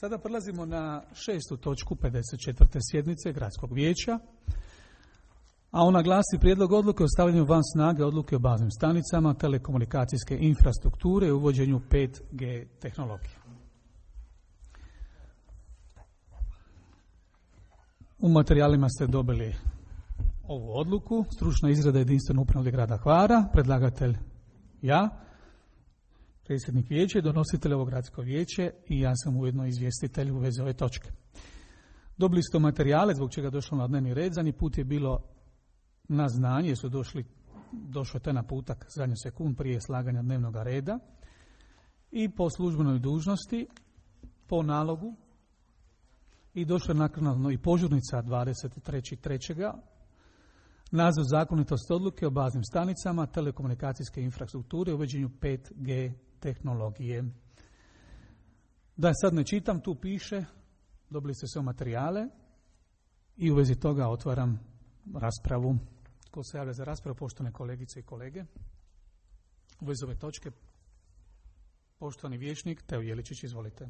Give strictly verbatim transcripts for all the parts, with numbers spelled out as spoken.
Sada prelazimo na šestu točku pedeset četvrte sjednice Gradskog vijeća, a ona glasi prijedlog odluke o stavljanju van snage odluke o baznim stanicama telekomunikacijske infrastrukture i uvođenju pet G tehnologije. U materijalima ste dobili ovu odluku, stručna izrada jedinstveno upravnog grada Hvara, predlagatelj ja, predsjednik vijeća i donositelj ovog gradsko vijeće i ja sam ujedno izvjestitelj u vezi ove točke. Dobili ste materijale zbog čega je došlo na dnevni red, zadnji put je bilo na znanje, jer su došli, došao je taj naputak zadnju sekund prije slaganja dnevnog reda i po službenoj dužnosti, po nalogu i došla je naknadno i požurnica dvadeset trećeg trećeg naziv zakonitosti odluke o baznim stanicama telekomunikacijske infrastrukture u uvođenju pet G tehnologije. Da sad ne čitam, tu piše, dobili ste sve materijale i u vezi toga otvaram raspravu. Ko se javlja za raspravu, poštovane kolegice i kolege? U vezi ove točke, poštovani vijećnik Teo Jeličić, izvolite.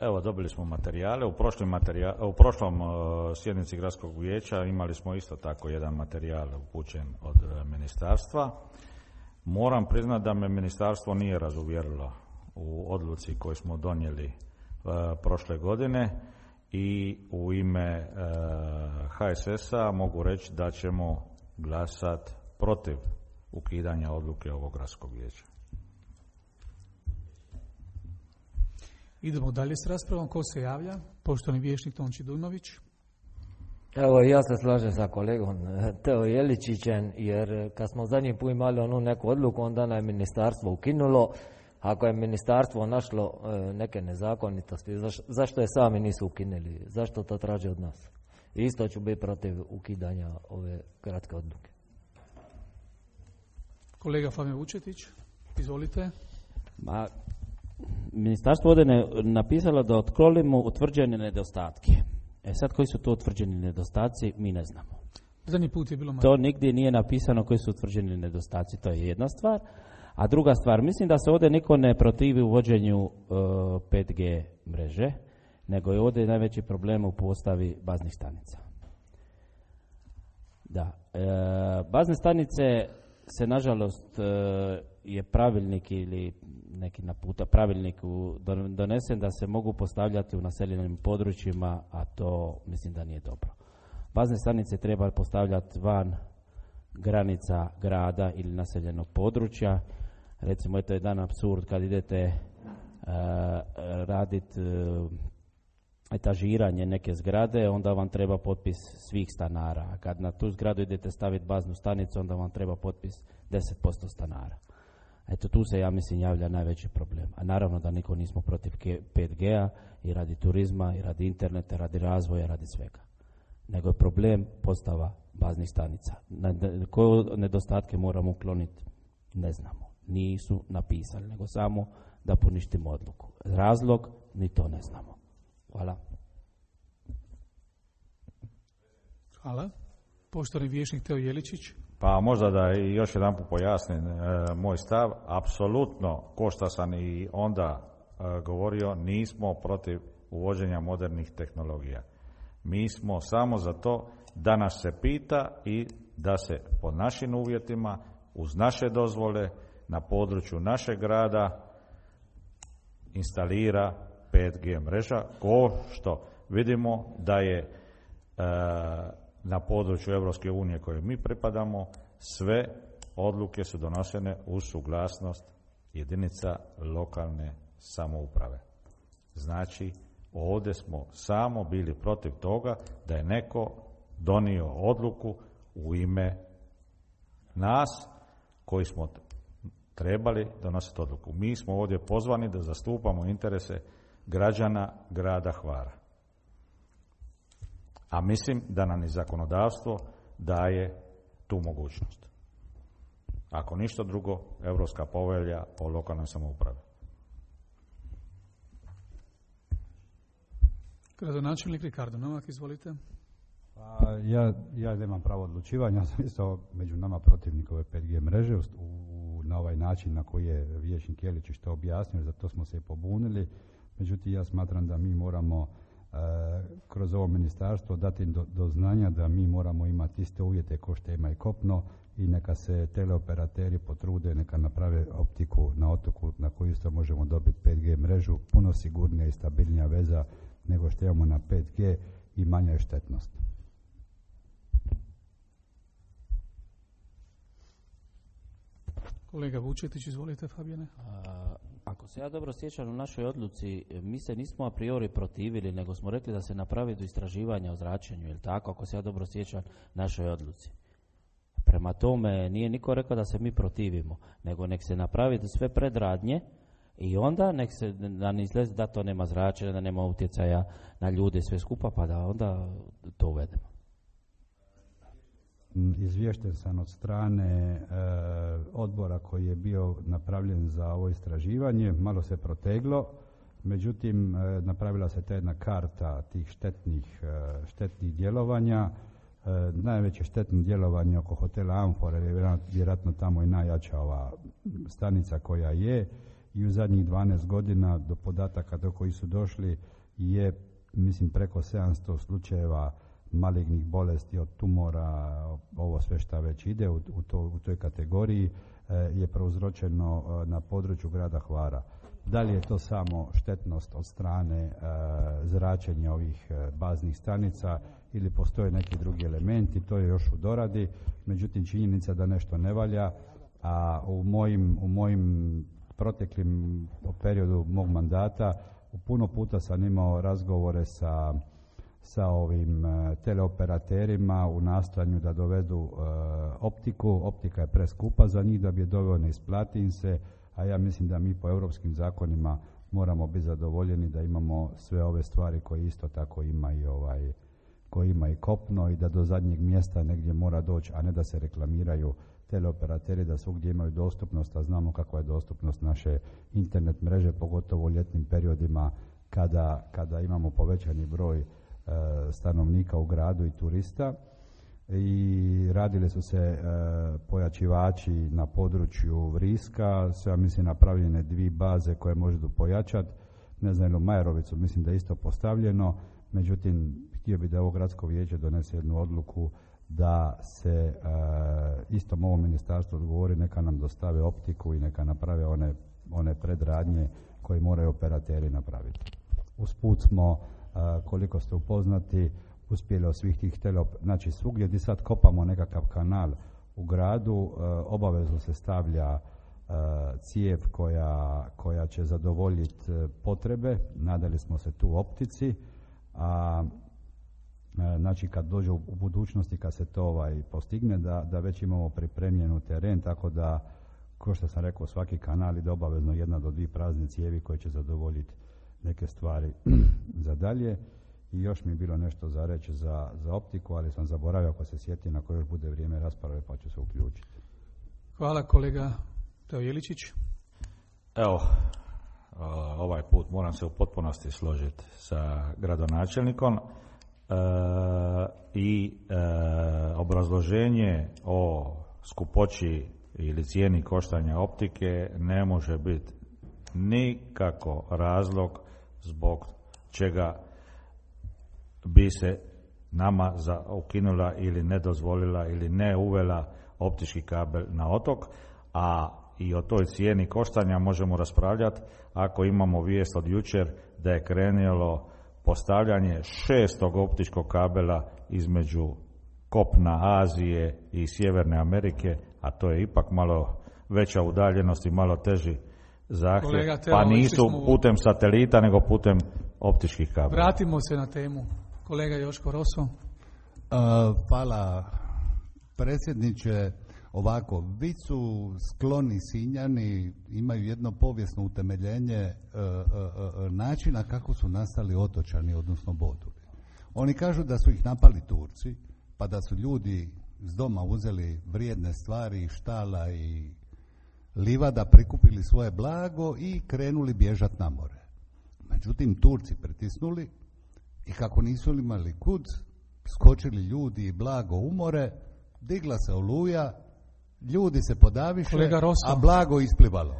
Evo, dobili smo materijale. U, materijal, u prošlom uh, sjednici Gradskog vijeća imali smo isto tako jedan materijal upućen od uh, ministarstva. Moram priznati da me ministarstvo nije razuvjerilo u odluci koju smo donijeli uh, prošle godine i u ime uh, H S S-a mogu reći da ćemo glasati protiv ukidanja odluke ovog Gradskog vijeća. Idemo dalje s raspravom. Ko se javlja? Poštovani vijećnik Tonči Dujmović. Evo, ja se slažem sa kolegom Teo Jeličićem, jer kad smo zadnji put imali onu neku odluku, onda je ministarstvo ukinulo. Ako je ministarstvo našlo neke nezakonitosti, zašto je sami nisu ukinuli? Zašto to traže od nas? Isto ću biti protiv ukidanja ove gradske odluke. Kolega Fabio Vučetić, izvolite. Ma, ministarstvo ovdje je napisalo da otklonimo utvrđene nedostatke. E sad, koji su to utvrđeni nedostaci, mi ne znamo. Zadnji put je bilo malo. To nigdje nije napisano koji su utvrđeni nedostaci, to je jedna stvar. A druga stvar, mislim da se ovdje niko ne protivi uvođenju uh, pet G mreže, nego je ovdje najveći problem u postavi baznih stanica. Da, e, bazne stanice se nažalost e, je pravilnik ili neki naputa pravilnik donesen da se mogu postavljati u naseljenim područjima, a to mislim da nije dobro. Bazne stanice treba postavljati van granica grada ili naseljenog područja. Recimo, eto je jedan apsurd kad idete uh, raditi uh, etažiranje neke zgrade, onda vam treba potpis svih stanara. A kad na tu zgradu idete staviti baznu stanicu, onda vam treba potpis deset posto stanara. Eto, tu se, ja mislim, javlja najveći problem. A naravno da niko nismo protiv pet G-a i radi turizma, i radi interneta, radi razvoja, radi svega. Nego je problem postava baznih stanica. Na, koje nedostatke moramo ukloniti, ne znamo. Nisu napisali, nego samo da poništimo odluku. Razlog, ni to ne znamo. Hvala. Hvala. Poštovani vijećnik Teo Jeličić. Pa možda da još jedan put pojasnim e, moj stav. Apsolutno, ko što sam i onda e, govorio, nismo protiv uvođenja modernih tehnologija. Mi smo samo za to da nas se pita i da se po našim uvjetima, uz naše dozvole, na području našeg grada instalira pet G mreža, ko što vidimo da je e, na području Europske unije kojoj mi pripadamo, sve odluke su donošene uz suglasnost jedinica lokalne samouprave. Znači, ovdje smo samo bili protiv toga da je neko donio odluku u ime nas koji smo trebali donositi odluku. Mi smo ovdje pozvani da zastupamo interese građana grada Hvara. A mislim da nam i zakonodavstvo daje tu mogućnost. Ako ništa drugo, Europska povelja o lokalnoj samoupravi. Gradonačelnik Ricardo Novak, izvolite. Pa, ja, ja nemam pravo odlučivanja, ja sam isto među nama protivnik ove pet G mreže. U, u na ovaj način na koji je vijećnik Jeličić to objasnio, zato smo se i pobunili. Međutim, ja smatram da mi moramo e, kroz ovo ministarstvo dati do, do znanja da mi moramo imati iste uvjete kao što ima i kopno i neka se teleoperateri potrude, neka naprave optiku na otoku na koju isto možemo dobiti pet G mrežu, puno sigurnija i stabilnija veza nego što imamo na pet G i manja je štetnost. Kolega Vučetić, izvolite, Fabijane. A, ako se ja dobro sjećam, u našoj odluci mi se nismo a priori protivili, nego smo rekli da se napravi do istraživanja o zračenju, je li tako? Ako se ja dobro sjećam našoj odluci. Prema tome, nije niko rekao da se mi protivimo, nego nek se napravi sve predradnje i onda nek se da ne izlezi da to nema zračenja, da nema utjecaja na ljude sve skupa, pa da onda to uvedemo. Izvješten sam od strane e, odbora koji je bio napravljen za ovo istraživanje, malo se proteglo, međutim e, napravila se ta jedna karta tih štetnih, e, štetnih djelovanja. E, najveće štetno djelovanje oko hotela Amfora je vjerojatno tamo i najjača ova stanica koja je i u zadnjih dvanaest godina do podataka do kojih su došli je mislim preko sedamsto slučajeva malignih bolesti od tumora, ovo sve šta već ide u, u, to, u toj kategoriji e, je prouzročeno e, na području grada Hvara. Da li je to samo štetnost od strane e, zračenja ovih e, baznih stanica ili postoje neki drugi elementi, to je još u doradi, međutim činjenica da nešto ne valja, a u mojim, u mojim proteklim periodu mog mandata u puno puta sam imao razgovore sa sa ovim uh, teleoperaterima u nastojanju da dovedu uh, optiku. Optika je preskupa za njih da bi je doveo, ne isplati im se, a ja mislim da mi po europskim zakonima moramo biti zadovoljeni da imamo sve ove stvari koje isto tako ima i ovaj, koji ima i kopno i da do zadnjeg mjesta negdje mora doći, a ne da se reklamiraju teleoperateri da svugdje imaju dostupnost, a znamo kakva je dostupnost naše internet mreže, pogotovo u ljetnim periodima kada, kada imamo povećani broj stanovnika u gradu i turista i radile su se e, pojačivači na području Vriska, sve mislim napravljene dvije baze koje možete pojačati, ne znam, u Majerovicu mislim da je isto postavljeno, međutim htio bi da ovo gradsko vijeće donese jednu odluku da se e, istom ovo ministarstvo odgovori, neka nam dostave optiku i neka naprave one, one predradnje koje moraju operateri napraviti. Usput smo Uh, koliko ste upoznati, uspjeli od svih tih telop... Znači, svugdje gdje sad kopamo nekakav kanal u gradu, uh, obavezno se stavlja uh, cijev koja, koja će zadovoljiti uh, potrebe. Nadali smo se tu optici, a uh, znači kad dođe u, u budućnosti, kad se to ovaj, postigne, da, da već imamo pripremljenu teren, tako da, kao što sam rekao, svaki kanal ide obavezno jedna do dvije prazne cijevi koje će zadovoljiti neke stvari za dalje. I još mi je bilo nešto za reći za, za optiku, ali sam zaboravio, ako se sjeti na koje još bude vrijeme rasprave, pa ću se uključiti. Hvala, kolega Teo Jeličić. Evo, ovaj put moram se u potpunosti složiti sa gradonačelnikom e, i e, obrazloženje o skupoći ili cijeni koštanja optike ne može biti nikako razlog zbog čega bi se nama za ukinula ili ne dozvolila ili ne uvela optički kabel na otok, a i o toj cijeni koštanja možemo raspravljati ako imamo vijest od jučer da je krenulo postavljanje šestog optičkog kabela između kopna Azije i Sjeverne Amerike, a to je ipak malo veća udaljenost i malo teži zahtjev, pa nisu putem satelita nego putem optičkih kabela. Vratimo se na temu. Kolega Joško Roso. Uh, hvala predsjedniče. Ovako, vi su skloni Sinjani, imaju jedno povijesno utemeljenje uh, uh, uh, načina kako su nastali otočani, odnosno Boduli. Oni kažu da su ih napali Turci, pa da su ljudi s doma uzeli vrijedne stvari, štala i livada, prikupili svoje blago i krenuli bježati na more. Međutim, Turci pritisnuli i kako nisu imali kud, skočili ljudi i blago u more, digla se oluja ljudi se podaviše, Kolega Rosso. a blago isplivalo.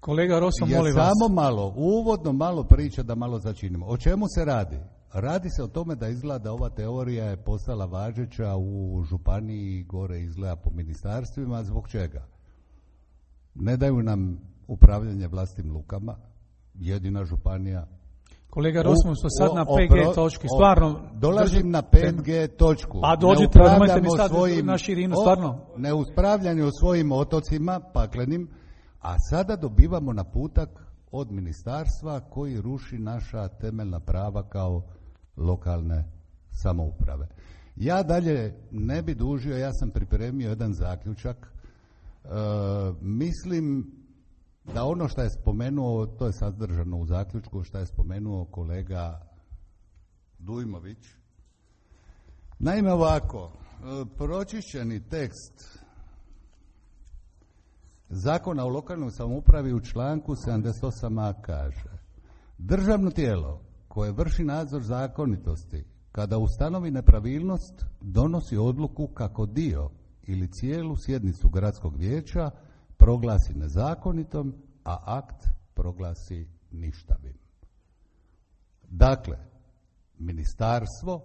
Kolega Rosso, Ja molim vas. samo malo, uvodno malo priča da malo začinimo. O čemu se radi? Radi se o tome da izgleda da ova teorija je postala važeća u županiji, gore izgleda po ministarstvima. Zbog čega? Ne daju nam upravljanje vlastitim lukama, jedina županija. Kolega Rosso, smo sad O- na o- P G opro- točki, o- stvarno. Dolazim držim- na pet G točku. Pa Ne dođite, nemojte mi upravljamo sad svojim- na širinu, o- stvarno. Ne uspravljanje o svojim otocima paklenim, a sada dobivamo naputak od ministarstva koji ruši naša temeljna prava kao lokalne samouprave. Ja dalje ne bi dužio, ja sam pripremio jedan zaključak. E, mislim da ono što je spomenuo, to je sadržano u zaključku, što je spomenuo kolega Dujmović. Naime ovako, e, pročišćeni tekst Zakona o lokalnoj samoupravi u članku sedamdeset osam a kaže: državno tijelo koje vrši nadzor zakonitosti kada ustanovi nepravilnost donosi odluku kako dio ili cijelu sjednicu gradskog vijeća proglasi nezakonitom, a akt proglasi ništavim. Dakle, ministarstvo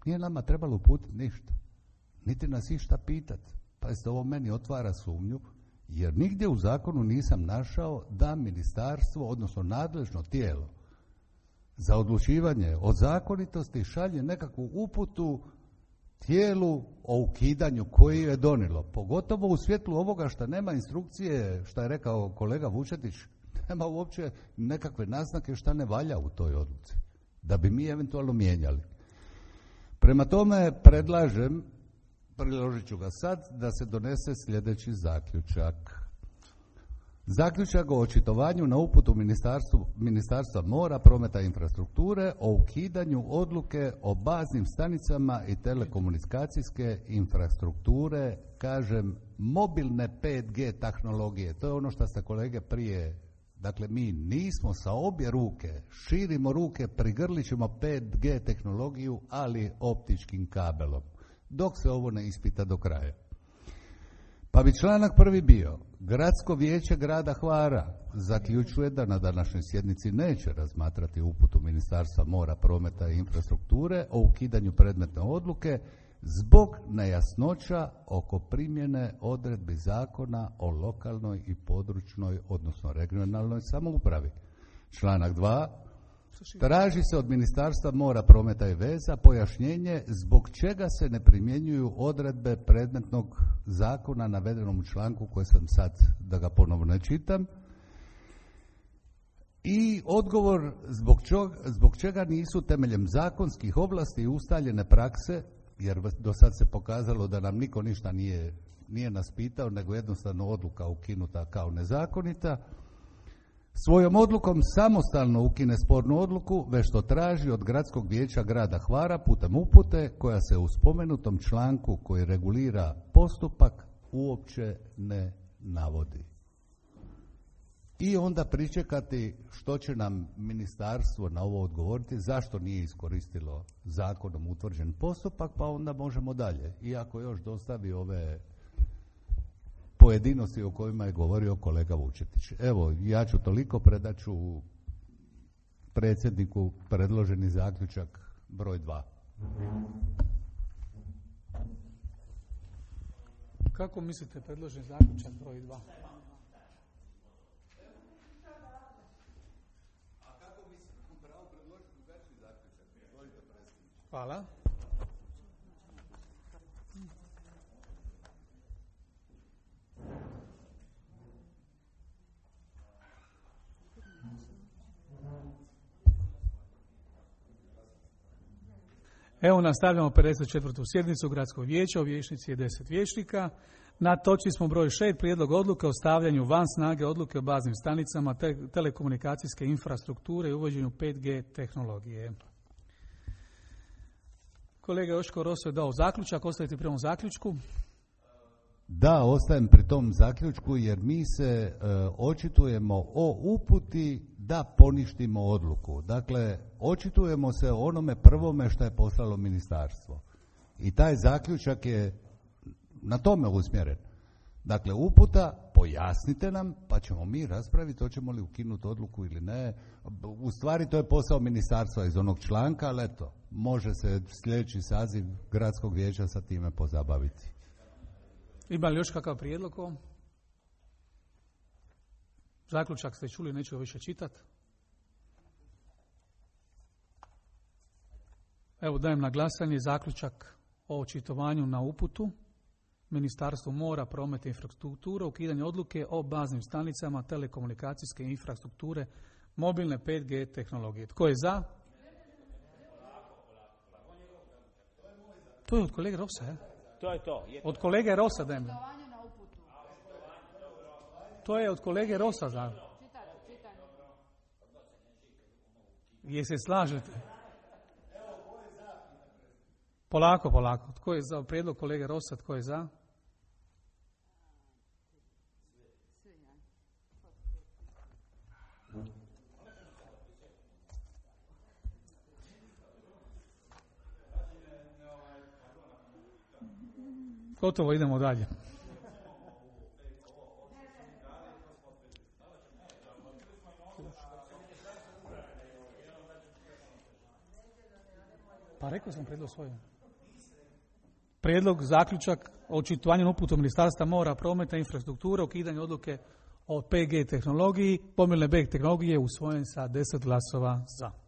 nije nama trebalo uputiti ništa, niti nas išta pitati. Pa se ovo meni otvara sumnju, jer nigdje u zakonu nisam našao da ministarstvo, odnosno nadležno tijelo za odlučivanje o zakonitosti šalje nekakvu uputu tijelu o ukidanju koji je donijelo. Pogotovo u svjetlu ovoga što nema instrukcije, što je rekao kolega Vučetić, nema uopće nekakve naznake šta ne valja u toj odluci, da bi mi eventualno mijenjali. Prema tome predlažem, priložit ću ga sad, da se donese sljedeći zaključak. Zaključak o očitovanju na uputu Ministarstva mora, prometa i infrastrukture o ukidanju odluke o baznim stanicama i telekomunikacijske infrastrukture, kažem, mobilne pet G tehnologije. To je ono što ste kolege prije, dakle mi nismo sa obje ruke, širimo ruke, prigrlit ćemo pet G tehnologiju, ali optičkim kabelom, dok se ovo ne ispita do kraja. Pa bi članak prvi bio: Gradsko vijeće grada Hvara zaključuje da na današnjoj sjednici neće razmatrati uputu Ministarstva mora, prometa i infrastrukture o ukidanju predmetne odluke zbog nejasnoća oko primjene odredbi Zakona o lokalnoj i područnoj, odnosno regionalnoj samoupravi. Članak dva. Traži se od Ministarstva mora, prometa i veza pojašnjenje zbog čega se ne primjenjuju odredbe predmetnog zakona navedenom u članku koji sam sad, da ga ponovno ne čitam. I odgovor zbog, čog, zbog čega nisu temeljem zakonskih ovlasti i ustaljene prakse, jer do sad se pokazalo da nam niko ništa nije, nije nas pitao, nego jednostavno odluka ukinuta kao nezakonita, svojom odlukom samostalno ukine spornu odluku, već što traži od Gradskog vijeća grada Hvara putem upute koja se u spomenutom članku koji regulira postupak uopće ne navodi. I onda pričekati što će nam ministarstvo na ovo odgovoriti, zašto nije iskoristilo zakonom utvrđen postupak, pa onda možemo dalje. Iako još dostavi ove pojedinosti o kojima je govorio kolega Vučetić. Evo, ja ću toliko, predaću predsjedniku predloženi zaključak broj dva. Kako mislite predložen zaključak broj dva? Hvala. Evo nastavljamo pedeset četvrtu sjednicu Gradskog vijeća, u vijećnici je deset vijećnika. Na točci smo broj šest, prijedlog odluke o stavljanju van snage odluke o baznim stanicama te telekomunikacijske infrastrukture i uvođenju pet G tehnologije. Kolega Joško Rosso je dao zaključak, ostajete pri ovom zaključku? Da, ostajem pri tom zaključku jer mi se e, očitujemo o uputi da poništimo odluku. Dakle, očitujemo se o onome prvome što je poslalo ministarstvo. I taj zaključak je na tome usmjeren. Dakle, uputa, pojasnite nam, pa ćemo mi raspraviti hoćemo li ukinuti odluku ili ne. U stvari to je posao ministarstva iz onog članka, ali eto, može se sljedeći saziv gradskog vijeća sa time pozabaviti. Ima li još kakav prijedlog ovom? Zaključak ste čuli, neću više čitati. Evo dajem na glasanje zaključak o očitovanju na uputu Ministarstvo mora, prometa i infrastrukture, ukidanje odluke o baznim stanicama telekomunikacijske infrastrukture mobilne pet G tehnologije. Tko je za? To je od kolege Rosa, je? To je to. Od kolege Rosa dajem. To je od kolege Rosa za. Je se slažete? Polako, polako. Tko je za prijedlog kolege Rosa? Tko je za? Gotovo, idemo dalje. Pa rekao sam prijedlog svoj. Prijedlog, zaključak o očitovanju na uputu Ministarstva mora, prometa i infrastrukture, ukidanje odluke o P G tehnologiji, mobilne B tehnologije usvojen sa deset glasova za.